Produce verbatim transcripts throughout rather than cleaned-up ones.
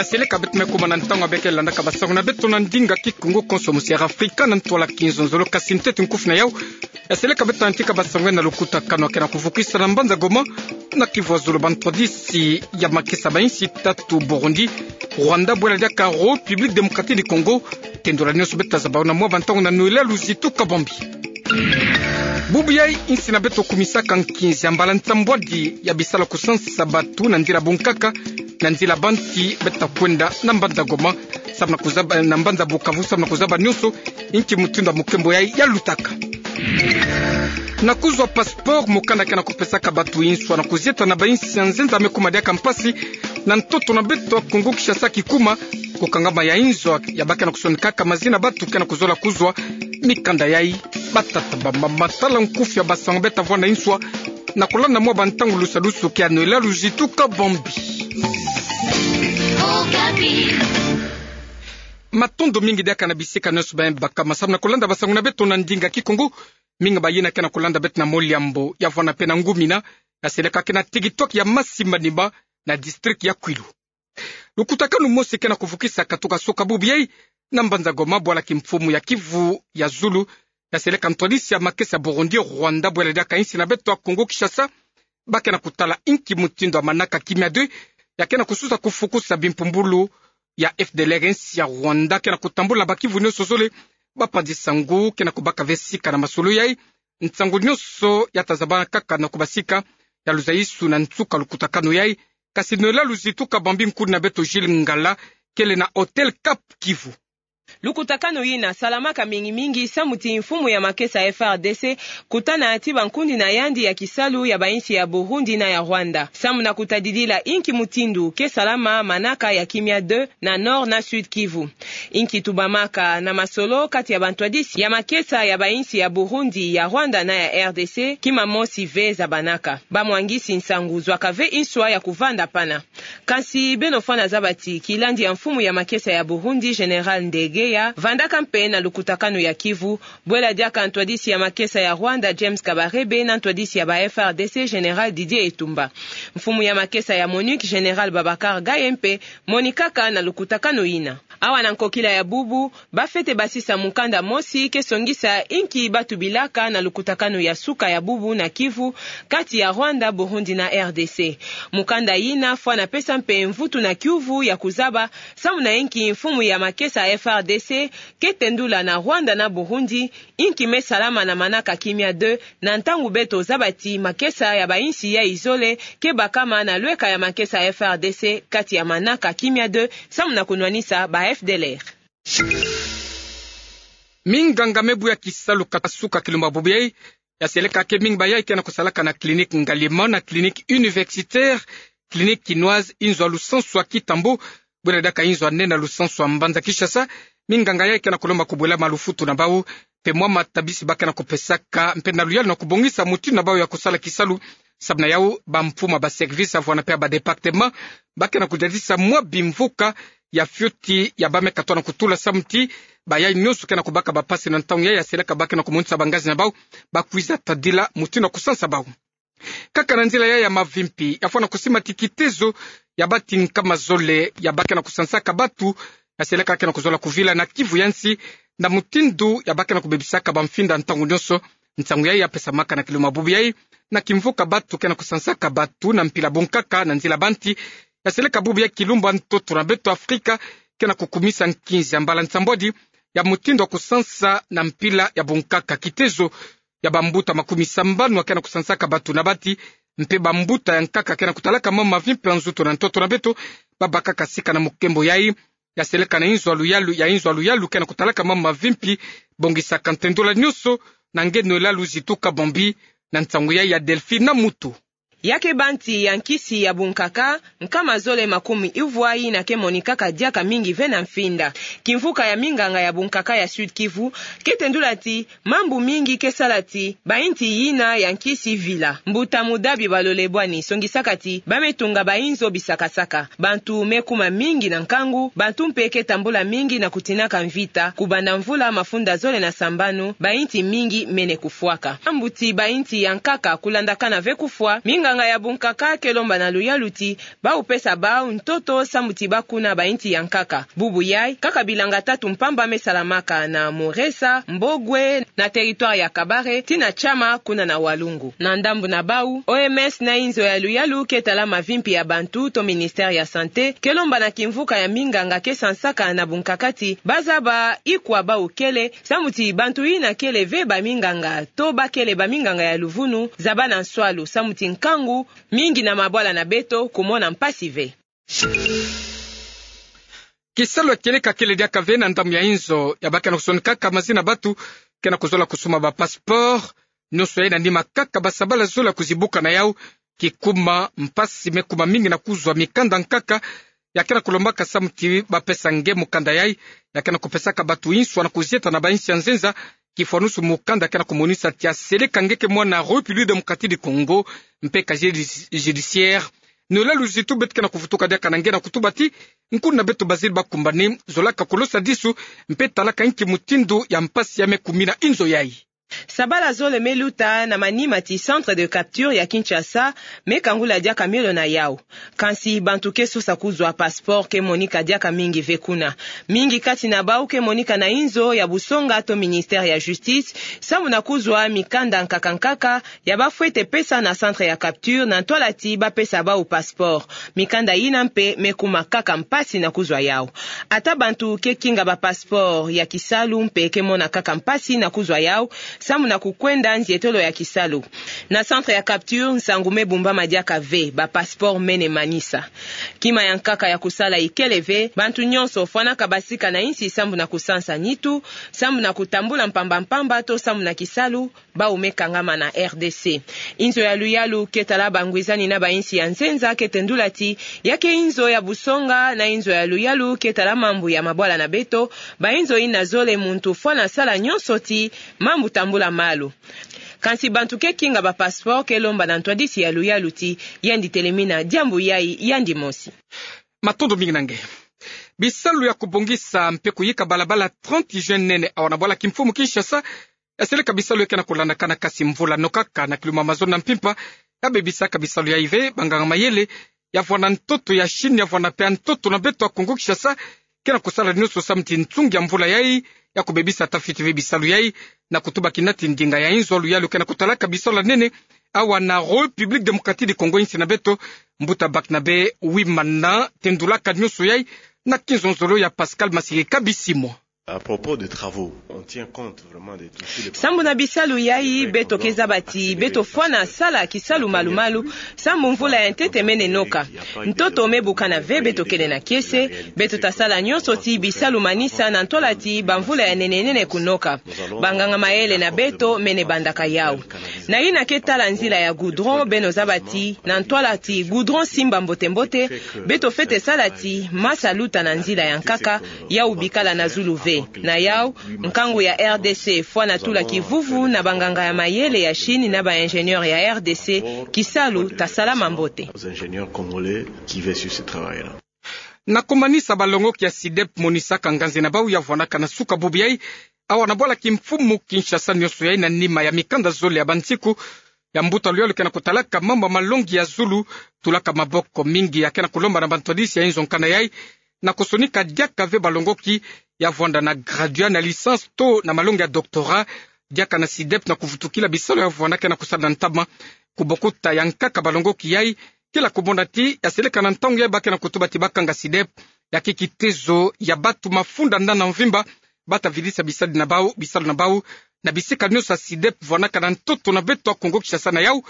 Ya seleka beto me kuma na ntangu ya beke landaka basango na beto na ndinga Kikongo konso mu Sierra Africa na ntwala kinzonzolo, kasi ntete nkufi na yau, ya seleka beto na ntika basango na lukutakanu ya kena kuvukisa na mbanza Goma, na Kivu ya Zulu, bantwadisi ya makesa ya bainsi tatu, Burundi, Rwanda, bwela diaka République Démocratique du Congo. Tendula nionso beto tazaba yo na mwa bantangu na Noëlla Luzitu Kabambi. Bubu yai, insi na beto kumisaka nkinzi ya mbala nsambwadi ya bisalu kusansa batu na nzila bunkaka, na nzila banti beta kwenda na mbanza Goma, samu na kuzaba, na mbanza Bukavu, samu na kuzaba nionso inki mutindu ya mukembo yai yalutaka. Na kuzwa passeport, mukanda kena kupesaka batu inswa na kuzieta na bainsi ya nzenza me kuma diaka mpasi na ntoto na beto ya Kongo Kinshasa, kikuma kukangama ya inzo ya ba kena kusonikaka mazina batu kena kuzola kuzwa mikanda yai. Batata, bamama, tala nkufi ya basango beta vwanda inswa na kulanda mwa bantangu lusadusu kia Noëlla Luzitu Kabambi. Matondo mingi diaka na bisika nionso baye bakama samu na kulanda basango na beto na ndinga Kikongo. Mingi bayina kena kulanda beto na moliambo ya vwanda pe na ngumina, ya seleka kena TikTok ya Masi Manima, na district ya Kwilu. Lukutakanu mosi kena kuvukisa katuka soka bubu yai na mbanza Goma, bwala kimfumu ya Kivu ya Zulu, ya seleka ntwadisi ya makesa ya Burundi, Rwanda, bwela diaka insi na beto ya Kongo Kinshasa, ba kena kutala inki mutindu ya manaka kimia deux ya kena kususa kufukusa bimpumbulu ya F D L R, insi ya Rwanda kena kutambula. Bakivu nionso zole, bapanzi-nsangu kena kubaka ve sika na masolo yai. Nsangu nionso ya tazabana kaka na kubasika, ya luzayisu na nsuka lukutakanu yai. Kasi Noëlla Luzitu Kabambi, nkuni na beto Gilles Ngala kele na Hotel Cap Kivu. Lukutakanu yina salamaka mingi mingi samu ti mfumu ya makesa F R D C kutana ti bankundi na yandi ya kisalu ya bainsi ya Burundi na ya Rwanda, samu na kutadidila inki mutindu ke salama manaka ya kimia deux na Nord na Sud Kivu. Inki tubamaka na masolo kati ya bantwadisi ya makesa ya bainsi ya Burundi, ya Rwanda na ya R D C, kima mosi ve zabanaka. Bamwangisi-nsangu zwaka ve inswa ya kuvanda pana. Kasi beno fwana zaba ti kilandi ya mfumu ya makesa ya Burundi, Général Ndegeya, vandaka mpe na lukutakanu ya Kivu, bwela diaka ntwadisi ya makesa ya Rwanda, James Kabarebe, na ntwadisi ya ba F R D C, Général Didier Etumba. Mfumu ya makesa ya MONUC, Général Babacar Gaye mpe monikaka na lukutakanu yina. Awa na nkokila ya bubu, bafwete basisa mukanda mosi ke songisa inki batubilaka na lukutakanu ya suka ya bubu na Kivu, kati ya Rwanda, Burundi na R D C. Mukanda yina fwana pesa mpe mvutu na kiuvu ya kuzaba samu na inki mfumu ya makesa F R D C ke tendula na Rwanda na Burundi inki me salama na manaka kimia deux, na ntangu beto zaba ti makesa ya bainsi yai zole ke bakama na lweka ya makesa F R D C kati ya manaka kimia deux, samu na kunwanisa ba F D L R. Minganga me buya kisalu kasuka kilumba bubu yai, ya seleka ke mingi bayai kena kusalaka na clinique Ngaliema na clinique universitaire, clinique kinoise, inzo ya lusansu ya Kitambo, bwela diaka inzo ya nene ya lusansu ya mbanza Kinshasa. Minganga yai kena kulomba kubwela malufutu na bau, mpe mwa matabisi ba kena kupesaka, mpe na luyalu na kubongisa mutindu na bau ya kusala kisalu. Samu na yau, bampuma, ba service ya vwanda mpe ya ba département, ba kena kudadisa mwa bimvuka ya fioti ya ba me katwa na kutula samu ti bayai nionso kena kubaka bapasi na ntangu yai, ya seleka ba kena kumonisa bangazi na bau bakwiza tadila mutindu ya kusansa bau. Kaka na nzila yai ya mavimpi, ya fwana kusima ti kitezo ya bati nkama zole ya ba kena kusansaka batu, ya seleka kena kuzola kuvila na Kivu ya nsi, na mutindu ya ba kena kubebisaka bamfinda ntangu nionso. Nsangu yai ya pesamaka na kilumba bubu yai na kimvuka batu kena kusansaka batu na mpila bunkaka na nzila banti, ya seleka bubu yai kilumba ntoto na beto Afrika kena kukumisa nkinzi ya mbala nsambwadi ya mutindu ya kusansa na mpila ya bunkaka kitezo ya bambuta makumi sambanu ya kena kusansaka batu na bati, mpe bambuta ya nkaka kena kutalaka mama mavimpi ya nzutu na ntoto na beto, babakaka sika na mukembo yai, ya seleka na inzo ya luyalu, ya inzo ya luyalu kena kutalaka mama mavimpi, bongisaka ntendula nionso na nge Noëlla Luzitu Kabambi, na nsangu yai ya Delphine Mutu. Ya ke banti ya nkisi ya bunkaka, nkama zole makumi uvwa yina ke monikaka diaka mingi ve na mfinda. Kimvuka ya minganga ya bunkaka ya Sud Kivu ke tendula ti mambu mingi ke sala ti bainti yina ya nkisi vila. Mbuta Mudabi Balole Bwani songisaka ti ba me tunga bainzo bisakasaka. Bantu me kuma mingi na nkangu, bantu mpe ke tambula mingi na kutinaka mvita, kubanda mvula mafunda zole na sambanu, bainti mingi mene kufwaka. Mambu ti bainti ya nkaka kulandakana ve kufwa, minga Nganga ya bunkaka ke lomba na luyalu ti bau pesa bau ntoto samu ti bakuna bainsi ya nkaka. Bubu yai, kaka bilanga tatu mpamba me salamaka na Moresa, Mbogwe, na territoire ya Kabare, tii na Tchama, kuna na Walungu. Na ndambu na bau, O M S na inzo ya luyalu ke tala mavimpi ya bantu to ministère ya santé, ke lomba na kimvuka ya minganga ke sansaka na bunkaka ti bazaba ikwa bau kele, samu ti bantu yina kele ve baminganga, to bakele baminganga ya luvunu, zaba na nswalu, samu ti nkangu mingi na mabwala na beto kumona mpasi ve. Kisalu ya kieleka kele diaka ve na ndambu ya inzo, ya ba ke na kusonikaka mazina batu ke na kuzola kusumba ba passeport, nionso yai na nima kaka ba sabala zole ya kuzibuka na yau, kikuma mpasi me kuma mingi na kuzwa mikanda nkaka, ya ke na kulombaka samu ti bapesa nge mukanda yai, ya ke na kupesaka batu inswa na kuzieta na bainsi ya nzenza, kifwanusu mukanda ke na kumonisa ti aseleka nge ke mwana République Démocratique du Congo, mpe casier judiciaire. Niola luzitu beto ke na kuvutuka diaka na nge na kutuba ti, nkuna beto baziri bakumbani, zolaka kulosa disu, mpe talaka inki mutindu ya mpasi ya me kumina inzo yai. Sabala zole me luta na manima ti centre de capture ya Kinshasa, me kangula diaka miolo na yau. Kansi bantu ke sosa kuzwa passeport ke monika diaka mingi ve kuna. Mingi kati na bau ke monika na inzo ya busonga to ministère ya justice, samu na kuzwa mikanda nkaka nkaka, ya bafwete pesa na centre ya capture na ntwala ti bapesa bau passeport. Mikanda yina mpe me kuma kaka mpasi na kuzwa yau. Ata bantu ke kinga ba passeport ya kisalu mpe ke mona kaka mpasi na kuzwa yau, samu na kukwenda nzietolo ya kisalu. Na centre ya capture, nsangu me bumbama diaka ve, ba passeport mene manisa. Kima ya nkaka ya kusala ikele ve, bantu nionso fwanaka basika na insi samu na kusansa nitu, samu na kutambula mpamba mpamba to samu na kisalu, bau me kangama na R D C. Inzo ya luyalu ke tala bangwizani na bainsi ya nzenza ke tendula ti, ya ke inzo ya busonga na inzo ya luyalu ke tala mambu ya mabwala na beto, bainzo yina zole muntu fwana sala nionso ti mambu tambula malu. Kansi bantu ke kinga ba passeport ke lomba na ntwadisi ya luyalu ti, yandi telemina diambu yai yandi mosi. Matondo mingi na nge. Bisalu ya kubongisa mpe kuyika balabala trente juin nene awa na bwala kimfumu Kinshasa, yaseleka bisalu ya ke na kulandakana kasi mvula nokaka na kiluma mazono na mpimpa, yabebisaka bisalu yai ve, banganga mayele ya vwanda ntoto ya Chine, ya vwanda mpe ntoto na beto ya Kongo Kinshasa, ke na kusala nionso samu ti nsungi ya mvula yai, ya kubebisa ata fiti ve bisalu yai, na kutuba kina ti ndinga ya inzo ya luyalu ke na kutalaka bisalu ya nene awa na République Démocratique du Congo, insi na beto, mbuta Barnabé Wimana tendulaka nionso yai na kinzonzolo ya Pascal Masirika Bisimwa. À propos des travaux, on tient compte vraiment de tout. Sambu na bisalu yai, beto ke zaba ti beto fwana sala kisalu malumalu, sambu mvula ya ntete mene noka. Ntoto me bukana ve beto kele na kiese, beto ta sala nionso ti bisalu manisa na ntwala ti bamvula ya nene nene kunoka. Banganga mayele na beto mene bandaka yau. Na yina ke tala nzila ya goudron, beno zaba ti na ntwala ti goudron simba mbote mbote, beto fwete sala ti masa luta na nzila ya nkaka, yau bikala na zulu ve. Na yau, nkangu ya R D C fwana tula kivuvu na banganga ya mayele ya Chine na ba ingénieur ya R D C, kisalu ta salama mbote. Aux ingénieurs congolais qui veillent sur ce travail-là. Na kumanisa, balongoki ya SYDEP monisaka nganzi na bau ya vwandaka na suka bubu yai awa na bwala kimfumu Kinshasa nionso yai na nima ya mikanda zole ya bansiku ya mbuta luyalu ke na kutalaka mambu ya malongi ya zulu, tulaka maboko mingi, ya ke na kulomba na bantwadisi ya inzo nkana yai na kusonika diaka ve balongoki ya vwanda na graduat na licence to na malongi ya doctorat, diaka na SYDEP na kuvutukila bisalu ya vwanda ke na kusala na ntama. Kubokuta ya nkaka, balongoki yai kila kumona ti yaseleka na ntangu yai ba ke na kutuba ti bakanga SYDEP, ya ke kitezo ya batu mafunda nda na mvimba, bata vidisa bisalu na bau, bisalu na bau na bisika nionso ya SYDEP vwandaka na ntoto na beto ya Kongo Kinshasa. Na yau,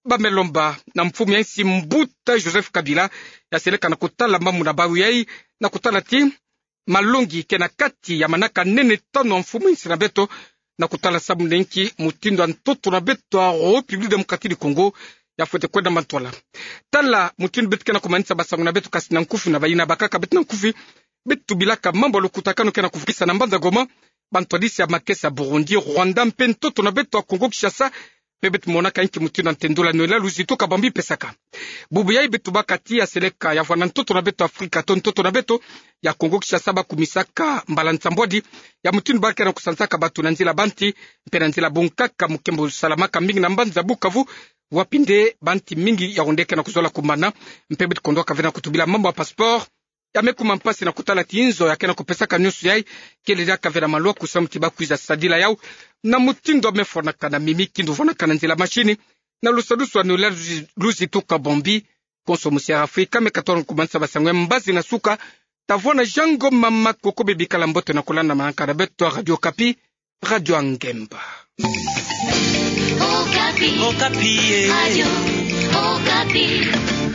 ba me lomba na mfumu ya insi mbuta Joseph Kabila yaseleka na kutala mambu na bau yai, na kutala ti malongi ke na kati ya manaka nene tanu ya mfumu insi na beto, na kutala sambu na inki mutindu ya ntoto na beto ya République Démocratique du Congo ya fwete kwenda mantwala. Tala mutindu beto ke na kumanisa basangu na beto kasi na nkufi, na bayina bakaka beto na nkufi, beto tubilaka mambu ya lukutakanu ke na kuvukisa na mbanza Goma bantwadisi ya makesa Burundi, Rwanda mpe ntoto na beto ya Kongo Kinshasa, mpe beto monaka inki mutindu ya ntendula niola luzitu kabambi pesaka. Bubu yai beto tubaka ti yaseleka ya vwanda ntoto na beto Afrika to ntoto na beto ya Kongo Kinshasa ba kumisaka mbala nsambwadi ya mutindu ba ke na kusansaka batu na nzila banti mpe na nzila bunkaka, mukembo salamaka mingi na mbanza Bukavu, Wapi nde ba nti mingi yao nde ke na kuzola kumana, mpe bit kondwa ka vena kutubila mambu ya passeport. Ya me kuma mpasi na kutala ti nzo ya ke na kupesaka nyonso yai, kele diaka vena maloku samu ti ba kwiza sadila yau na mutindu ya me fwanaka na mimi, kindu fwanaka na nzila mashini, na lusadusu ya nolila luzi, luzi tuka bombi. Konso musi ya Afrika me katona kumanisa basango ya mbazi na suka. Ta vwanda yango mama, koko bebikala mbote na kolanda manaka na beto ya Radio Okapi, Radio ya Ngemba. Okapi. Okapi, eh. Radio Okapi.